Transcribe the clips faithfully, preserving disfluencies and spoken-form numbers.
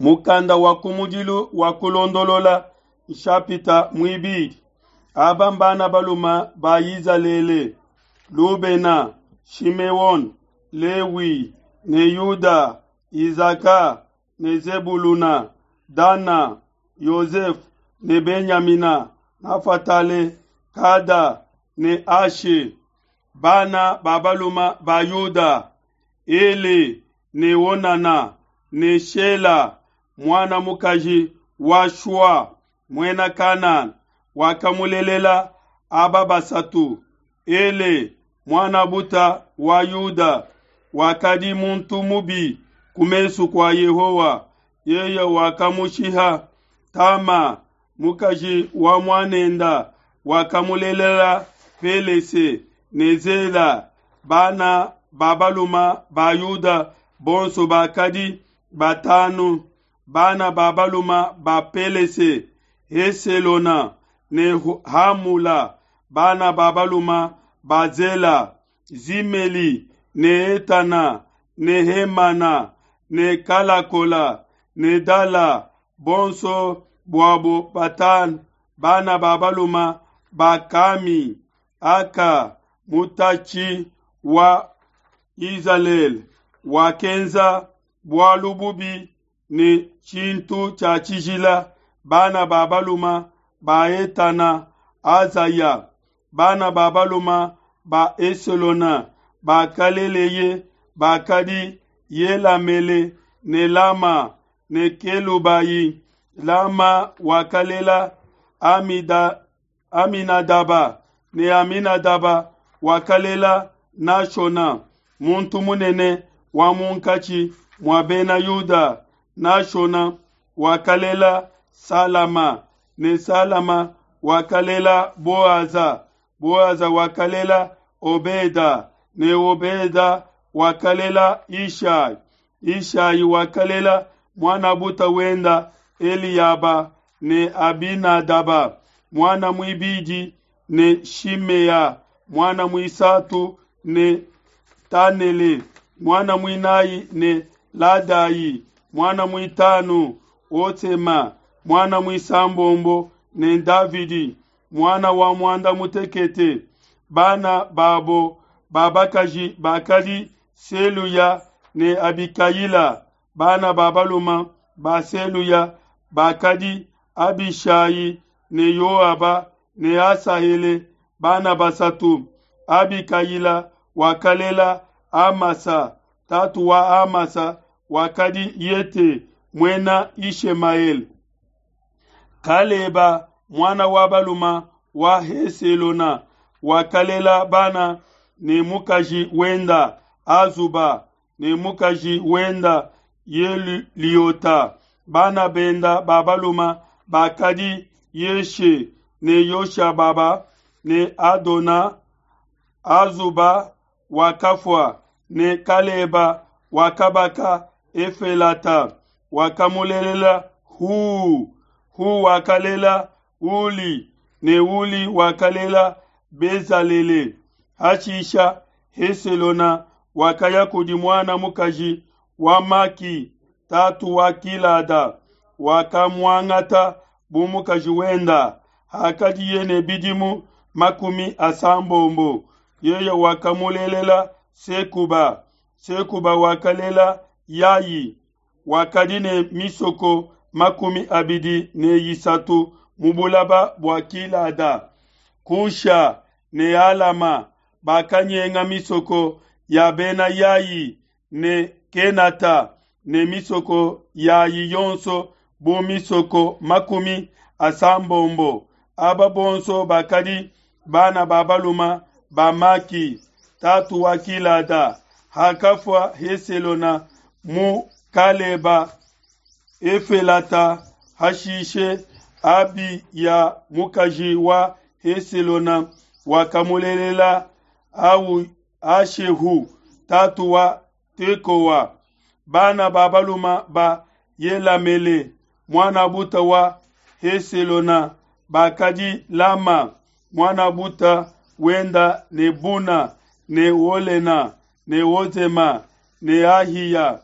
Mukanda wa kumudilu wa Kulondolola, nshapita muibidi. Aba mbana baluma ba Izalele: Lubena, Shimeone, Lewi ne Yuda, Izaka ne Zebuluna, Dana, Yozefe ne Benyamina, Nafatale, Kada ne Ashe. Bana ba baluma ba Yuda: Ele ne Onana ne Shela, muana mukaji wa Shua, muena Kanana, wakamulelela aba basatu. Ele, muan'a wa Yuda, wakadi muntu mubi ku mesu kua Yehowa, yeye wakamushiha. Tama, mukaji wa muanenda, wakamulelela Pelese ne Zela. Bana ba baluma ba Yuda bonso bakadi batanu. Bana ba baluma ba Pelese: Heselona ne Hamula. Bana ba baluma ba Zela: Zimeli ne Etana ne Hemana ne Kalakola ne Dala, bonso buabo batanu. Bana ba baluma ba Kami: Aka, mutatshi wa Izalele, wakenza bualu bubi ne tshintu tshia tshijila. Bana ba baluma ba Etana: Azaya. Bana ba baluma ba Eselona bakaleleye bakadi Yelamele ne Lama ne Kelubayi. Lama wakalela Amida, Aminadaba ne Aminadaba wakalela Nashona, muntu munene wa munkatshi mua bena Yuda. Nashona wakalela Salama ne Salama wakalela Boaza. Boaza wakalela Obeda ne Obeda wakalela Ishai. Ishai wakalela muanabuta wenda Eliaba ne Abinadaba, muana muibidi ne Shimea, muana muisatu ne Tanele, muana muinayi ne Ladayi, muana muitanu Otsema, muana muisambombo ne Davidi, muana wa muanda mutekete. Bana babo babakaji bakadi Seluya ne Abikayila. Bana ba baluma ba Seluya bakadi Abishayi ne Yoaba ne Asahele, bana basatu. Abikayila wakalela Amasa, tatu wa Amasa wakadi Yete muena Ishemaele. Kaleba muana wa baluma wa Heselona wakalela bana ne mukaji wenda Azuba ne mukaji wenda Yeliota. Bana benda ba baluma bakadi Yeshe ne Yoshababa ne Adona. Azuba wakafua ne Kaleba wakabaka Efelata wakamulelela Hu. Hu wakalela Uli ne Uli wakalela Bezalele. Hashisha Heselona wakaya kudi muana mukaji wa Maki, tatu wa Kilada, wakamuangata bu mukaji wenda. Hakadiye ne bidimu makumi asambombo. Yeye wakamulelela Sekuba. Sekuba wakalela Yayi. Wakadi ne misoko makumi abidi ne isatu mu bulaba bua Kilada. Kusha ne Alama bakanyenga misoko ya bena Yayi ne Kenata ne misoko yayi yonso bu misoko makumi asambombo. Aba bonso bakadi bana ba baluma ba Maki, tatu wa Kilada. Hakafua Heselona mu Kaleba Efelata. Hashishe Abiya mukaji wa Heselona wakamulelela au Ashehu tatu wa Tekowa. Bana ba baluma ba Yelamele muana buta wa Heselona bakadi Lama muana buta wenda ne Buna ne Olena ne Ozema ne Ahiya.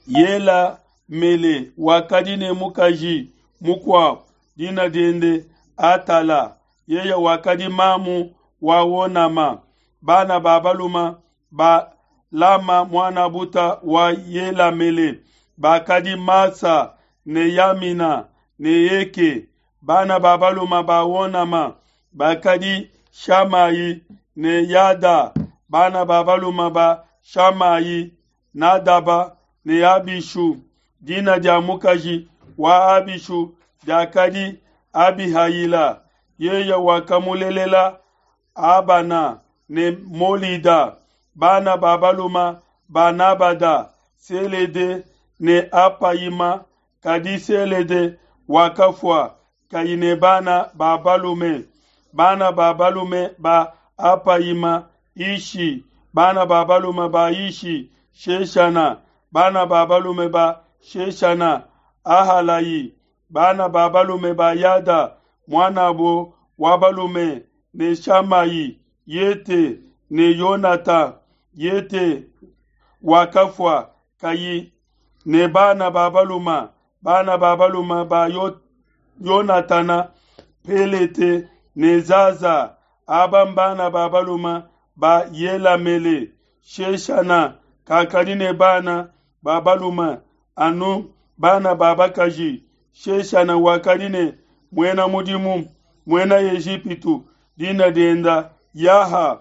Yela Yelamele wakadi ne mukaji mukuabu, dina diende Atala, yeye wakadi mamu wa Onama. Bana ba baluma ba Lama muanabuta wa Yelamele bakadi Masa ne Yamina ne Eke. Bana ba baluma ba Onama bakadi Shamai ne Yada. Bana ba baluma ba Shamai, Nadaba ne Abishu. Dina dia mukaji wa Abishu diakadi Abihayila, yeye wakamulelela Abana ne Molida. Bana ba baluma ba Nabada, Selede ne Apayima. Kadi Selede wakafua kayi ne bana ba balume. Bana ba balume ba Apayima, Ishi. Bana ba balume ba Ishi, Sheshana. Bana ba balume ba Sheshana, Ahalayi. Bana ba balume ba Yada, muanabo wa balume ne Shamayi, Yete ne Yonata. Yete wakafua kayi ne bana ba baluma. Bana ba baluma ba Yonatana, Pelete ne Zaza. Aba mbana ba baluma ba Yelamele. Sheshana kakadi ne bana ba baluma anu bana ba bakaji. Sheshana wakadi ne muena mudimu muena Ejipitu, dina dienda Yaha.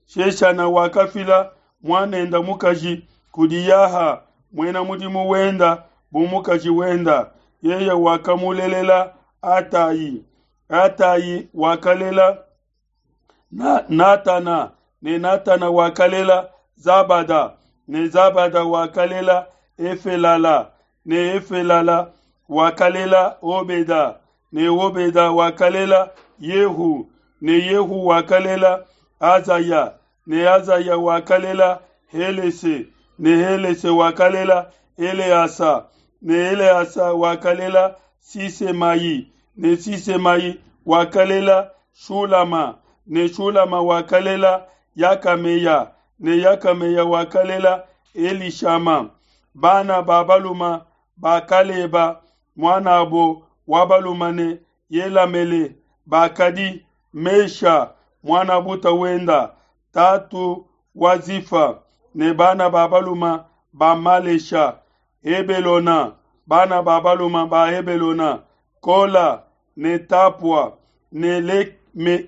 Sheshana wakafila muanenda mukaji kudi Yaha muena mudimu wenda bu mukaji wenda. Yeye wakamulelela Atayi. Atayi wakalela na, Natana ne Natana wakalela Zabada ne Zabada wakalela Efelala ne Efelala wakalela Obeda ne Obeda wakalela Yehu ne Yehu wakalela Azaya ne Azaya wakalela Helese ne Helese wakalela Eleasa ne Eleasa wakalela Sisemai ne Sisemai wakalela Shulama ne Shulama wakalela Yakameya ne Yakameya wakalela Elishama. Bana ba baluma ba Kaleba muanabo wa baluma ne Yelamele bakadi Mesha muanabuta wenda, tatu wa Zifa, ne bana ba baluma ba Malesha, Hebelona. Bana ba baluma ba Hebelona, Kola ne Tapua ne Leke,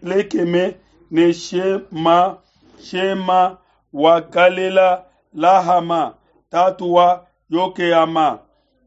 Lekeme ne Shema. Shema wakalela Lahama, tatu wa Yokeama.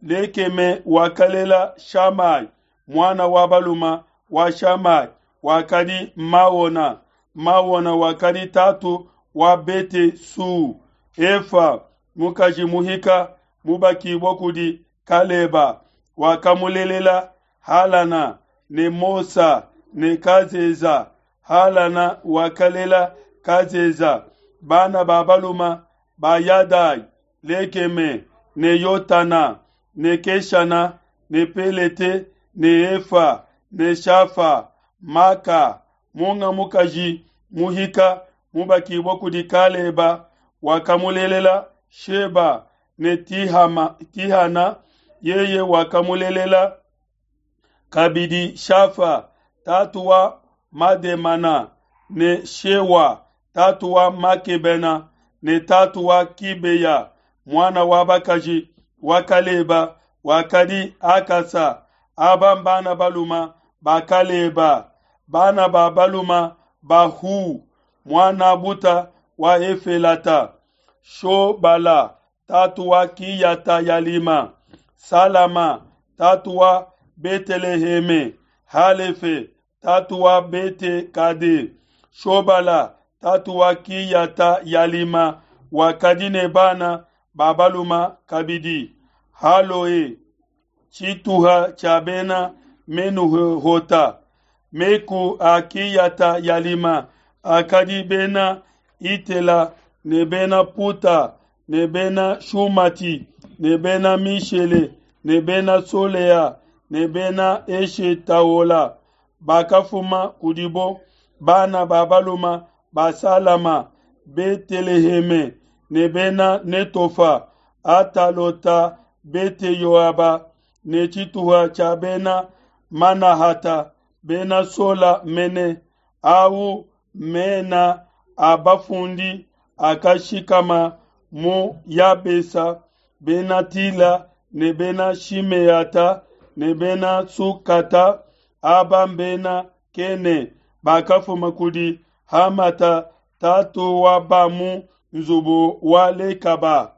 Lekeme wakalela Shamai, mwana wa baluma wa Shamai wakadi Maona. Maona wakadi tatu wa Bete Su. Efa mukaji muhika mubakibwa kudi Kaleba wakamulelela Halana ne Mosa ne Kazeza. Halana wakalela Kazeza. Bana ba baluma ba Yadai, Lekeme ne Yotana ne Keshana ne Pelete ne Efa ne Shafa. Maka munga mukaji muhika mubakibwa kudi Kaleba wakamulelela Sheba ne Tihama, Tihana. Yeye wakamulelela kabidi Shafa tatu wa Mademana ne Shewa tatu wa Makebena ne tatu wa Kibeya. Mwana wa bakaji wa Kaleba wakadi Akasa. Aba mbana baluma ba Kaleba. Bana ba baluma ba Hu mwana buta wa Efelata. Shobala tatu wa Kiyata Yalima. Salama tatu wa Beteleheme. Halefe tatu wa Bete Kade. Shobala tatu wa Kiyata Yalima wakadi ne bana ba baluma kabidi. Haloe chituha cha bena Menuhota. Meku a Kiyata Yalima akadi bena Itela ne bena Puta ne bena Shumati ne bena Mishele ne bena Solea ne bena Eshetaola. Bakafuma kudibo bana ba baluma ba Salama, Beteleheme ne bena Netofa, Atalota Bete-yoaba ne tshituha tshia Bena Manahata, Bena Sola mene. Au mena a bafundi akashikama mu Yabesa, Bena Tila ne Bena Shimeata ne Bena Sukata, aba mbena Kene bakafuma kudi Hamata tatu wa ba mu nzubu wa Lekaba.